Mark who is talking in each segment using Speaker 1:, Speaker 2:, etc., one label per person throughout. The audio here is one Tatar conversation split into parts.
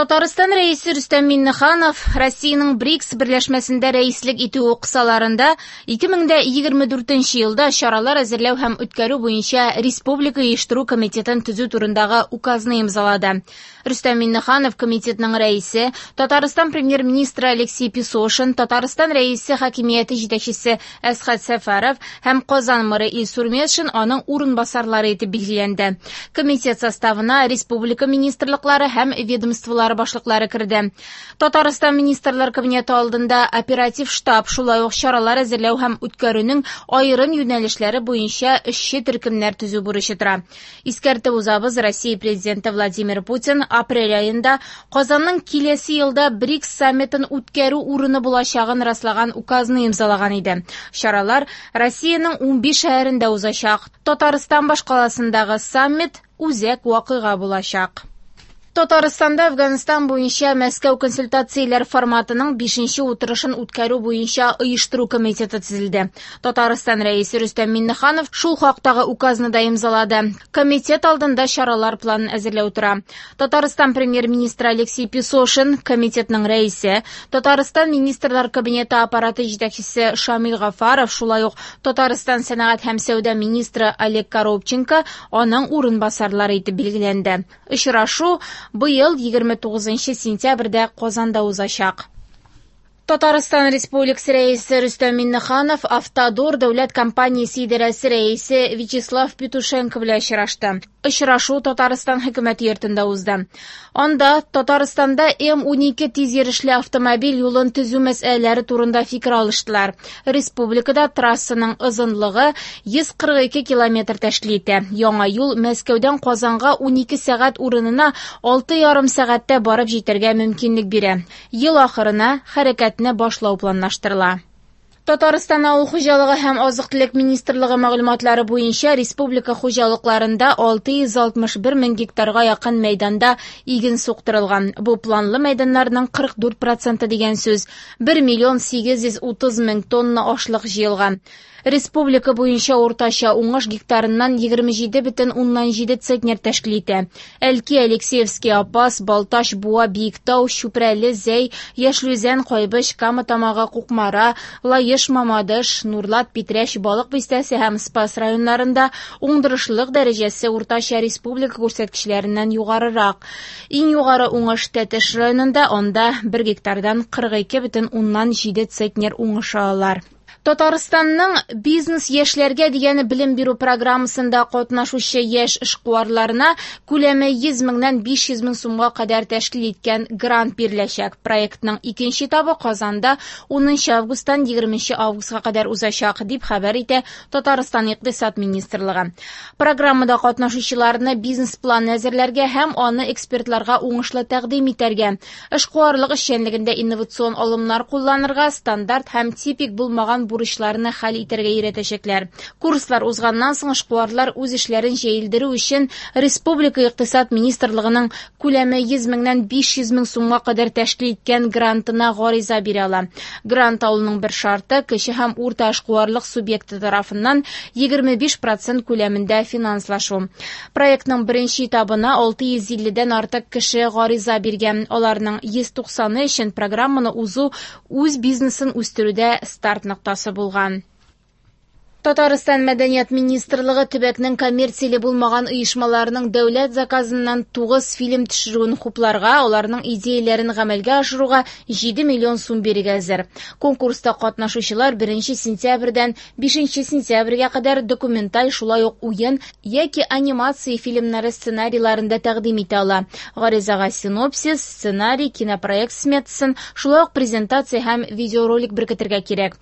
Speaker 1: Татарстан Рәисе Рөстәм Миңнеханов Россиянең БРИКС берләшмәсендә рәислек итүе кысаларында 2024 елда чаралар әзерләү һәм үткәрү буенча Республика оештыру комитетын төзү турындагы указны имзалады. Рөстәм Миңнеханов комитетның рәисе, Татарстан премьер-министры Алексей Песошин, Татарстан Рәисе хакимияте җитәкчесе Әсхәт Сәфәров һәм Казан мэры Илсур Метшин аның урынбасарлары итеп билгеләнде. Комитет составына республика министрлыклары һәм ведомстволары башлыклары керде. Татарстан Министрлар Кабинеты алдында оператив штаб, шулай ук чаралар әзерләү һәм үткәрүнең аерым юнәлешләре буенча эшче төркемнәр төзү бурычы тора. Искәртеп узабыз, Россия Президенты Владимир Путин апрель аенда Казанның киләсе елда БРИКС саммитын үткәрү урыны булачагын раслаган указны имзалаган иде. Чаралар Россиянең 15 шәһәрендә узачак. Татарстан башкаласындагы саммит үзәк вакыйга булачак. Татарстанда Әфганстан буенча Мәскәү консультацияләр форматының 5нче утырышын үткәрү буенча оештыру комитеты төзелде. Татарстан Рәисе Рөстәм Миңнеханов шул хактагы указны да имзалады. Комитет алдында чаралар планын әзерләү тора. Татарстан премьер-министры Алексей Песошин, комитетның рәисе, Татарстан Министрлар Кабинеты аппараты җитәкчесе Шамил Гафаров, шулай ук Татарстан сәнәгать һәм сәүдә министры Олег Коробченко аның урынбасарлары итеп билгеләнде. Очрашу быел 29 сентябрьдә Казанда узачак. Татарстан Республикасы Рәисе Рөстәм Миңнеханов Автодор дәүләт компаниясе идарәсе рәисе Вячеслав Петушенко белән очрашты. Очрашу Татарстан хөкүмәте йортында узды. Анда Татарстанда М12 тиз йөрешле автомобиль юлын төзү мәсьәләләре турында фикер алыштылар. Республикада трассаның озынлыгы 142 километр тәшкил итә. Яңа юл Мәскәүдән Казанга 12 сәгать урынына 6,5 сәгатьтә барып җитәргә мөмкинлек бирә. Ел ахырына хәрәкәтне башлау планлаштырыла. Татарстан авыл хуҗалыгы һәм азык-төлек министрлыгы мәгълүматлары буенча республика хуҗалыкларында 661 мең гектарга якын мәйданда иген суктырылган. Бу планлы мәйданнарның 44 проценты дигән сүз. 1 миллион 830 мең тонна ашлык җыелган. Республика буенча уртача уңыш гектарыннан 27,7 центнер тәшкил итә. Әлки, Алексеевский, Апас, Балтач, Буа, Биектау, Чүпрәле, Зәй, Яшел Үзән, Кайбыч, Кама Тамагы, Кукмара, Лаеш, Мамадыш, Нурлат, Питрәч, Балык Бистәсе һәм Спас районнарында уңдырышлылык дәрәҗәсе уртача республика күрсәткечләреннән югарырак. Иң югары уңыш Тәтеш районында, анда 1 гектардан 42,7 центнер уңыш алалар. Татарстанның бизнес яшьләргә дигән белем бирү программасында катнашучы яшь эшкуарларына күләме 100 меңнән 500 мең сумга кадәр тәшкил иткән грант биреләчәк. Проектның икенче этабы Казанда 10 августтан 20 августка кадәр узачак, дип хәбәр итә Татарстан Икътисад министрлыгы. Программада катнашучыларны бизнес-план әзерләргә һәм аны экспертларга уңышлы тәкъдим итәргә, эшкуарлык эшчәнлегендә инновацион алымнар кулланырга, стандарт һәм типик булмаган бурычларны хәл итәргә өйрәтәчәкләр. Курслар узганнан соң эшкуарлар үз эшләрен җәелдерү өчен Республика Икътисад министрлыгының күләме 100 меңнән 500 мең сумга кадәр тәшкил иткән грантына гариза бирә ала. Грант алуның бер шарты кече һәм урта эшкуарлык субъекты тарафыннан 25% күләмендә финанслашу. Проектның беренче этабына 650-дән артык кеше гариза биргән. Аларның 190-ы өчен программаны узу үз бизнесын үстерүдә старт ноктасы булган. Татарстан Мәдәният министрлыгы төбәкнең коммерцияле булмаган оешмаларының дәүләт заказыннан 9 фильм төшерүен хупларга, аларның идеяләрен гамәлгә ашыруга 7 миллион сум бирергә әзер. Конкурста катнашучылар 1 сентябрьдән 5 сентябрьгә кадәр документаль, шулай ук уен яки анимация фильмнары сценарийларын да тәкъдим итә ала. Гаризага синопсис, сценарий, кинопроект сметасын, шулай ук презентация һәм видеоролик беркетергә кирәк.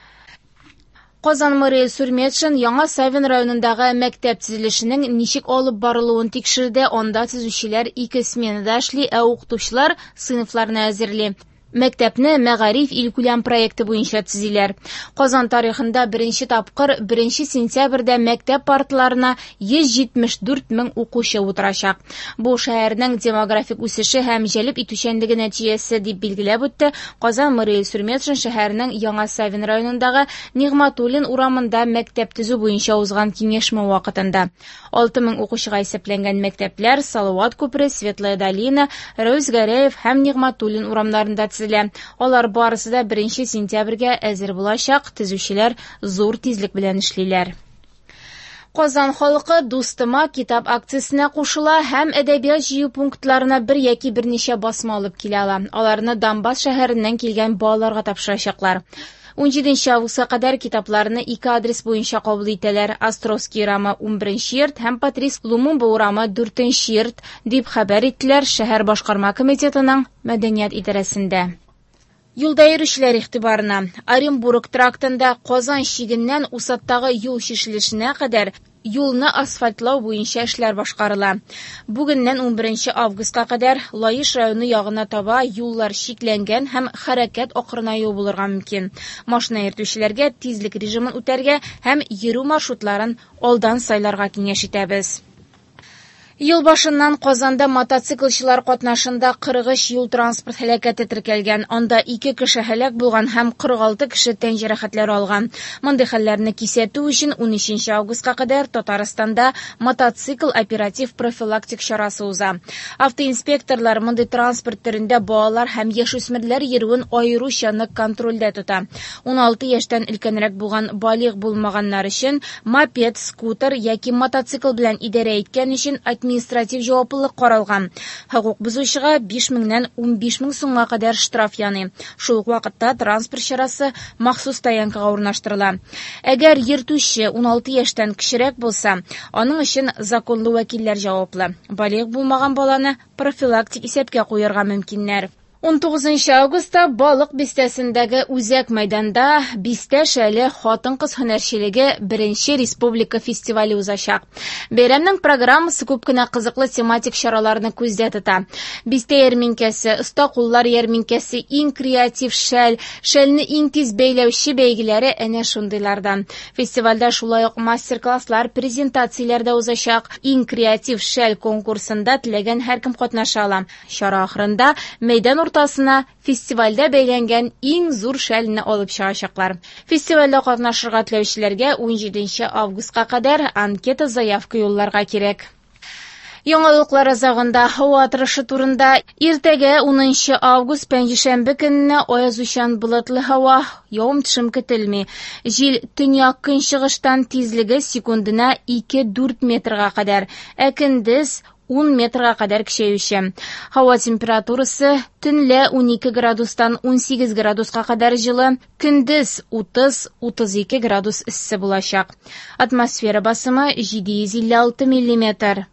Speaker 1: Казан мэры Илсур Метшин Яңа Савин районындагы мәктәп төзелешенең ничек алып барылуын тикшерде. Анда төзүчеләр ике сменада эшли, ә укытучылар сыйныфларны әзерли. Мәктәпне Мәгариф илкүләм проекты буенча төзиләр. Казан тарихында беренче тапкыр 1 сентябрьдә мәктәп парталарына 174 мең укучы утырачак. Бу шәһәрнең демографик үсеше һәм җәлеп итүчәнлеге нәтиҗәсе, дип билгеләп үтте Казан мэры Илсур Метшин шәһәрнең Яңа Савин районындагы Нигъматуллин урамында мәктәп төзү буенча узган киңәшмә вакытында. 6 мең укучыга исәпләнгән мәктәпләр Салават күпере, Светлая долина, Рәүс Гәрәев һәм Нигъматуллин урамнарында төзелә. Алар барысы да 1 сентябрьгә әзер булачак, төзүчеләр зур тизлек белән эшлиләр. Казан халкы Дустыма китап акциясенә кушыла һәм әдәбият җыю пунктларына бер яки берничә басма алып килә ала. Аларны Донбасс шәһәреннән килгән балаларга тапшырачаклар. 17 августка кадәр китапларны ике адрес буенча кабул итәләр: Островский урамы 11 йорт һәм Патрис Лумумба урамы 4 йорт, дип хәбәр иттеләр шәһәр башкарма комитетының мәдәният идарәсендә. Юлда йөрүчеләр игътибарына! Оренбург трактында Казан чигеннән Усадтагы юл чишелешенә кадәр юлны асфальтлау буенча эшләр башкарыла. Бүгеннән 11 августка кадәр Лаеш районы ягына таба юллар чикләнгән һәм хәрәкәт акрынаюы булырга мөмкин. Машина йөртүчеләргә тизлек режимын үтәргә һәм йөрү маршрутларын алдан сайларга киңәш итәбез. Ел башыннан Казанда мотоциклчылар катнашында 43 юл-транспорт һәлакәте теркәлгән. Анда 2 кеше һәлак булган һәм 46 кеше тән җәрәхәтләре алган. Мондый хәлләрне кисәтү өчен 13 августка кадәр Татарстанда мотоцикл оператив профилактик чарасы уза. Автоинспекторлар мондый транспорт төрендә балалар һәм яшүсмерләр йөрүен аеруча нык контрольдә тота. 16 яшьтән өлкәнрәк булган балигъ булмаганнар өчен мопед, скутер яки мотоцикл белән идарә иткән өчен административ җаваплылык каралган. Хокук бозучыга 5 меңнән 15 мең сумга кадәр штраф яный. Шул ук вакытта транспорт чарасы махсус стоянкага урнаштырыла. Әгәр йөртүче 16 яшьтән кечерәк булса, аның өчен законлы вәкилләр җаваплы. Балигъ булмаган баланы профилактик исәпкә куярга мөмкиннәр. 19 августта Балык бистәсендәге үзәк мәйданда Бистә шәле хатын-кыз һөнәрчелеге беренче республика фестивале узачак. Бәйрәмнең программасы күп кенә кызыклы тематик чараларны күздә тота. Бистә ярминкәсе, оста куллар ярминкәсе, иң креатив шәл, шәлне иң тиз бәйләүче бәйгеләре әнә шундыйлардан. Фестивальдә шулай ук мастер-класслар, презентацияләр дә узачак. Иң креатив шәл конкурсында теләгән һәркем катнаша ала. Чара ахырында мәйдан уртасына фестивальдә бәйләнгән иң зур шәлне алып чыгачаклар. Фестивальдә катнашырга теләүчеләргә 17 августка кадәр анкета заявка юлларга кирәк. Яңалыклар азагында һава торышы турында. Иртәгә 10 август пәнҗешәмбе көнне аязучан болытлы һава, явым-төшем көтелми. Җил төньяк көнчыгыштан, тизлеге секундына 2-4 метрга кадәр, ә көндез 10 метрга кадәр көчәюче. Һава температурасы төнлә 12 градустан 18 градуска кадәр җылы, көндез 30-32 градус эссе булачак. Атмосфера басымы 756 миллиметр.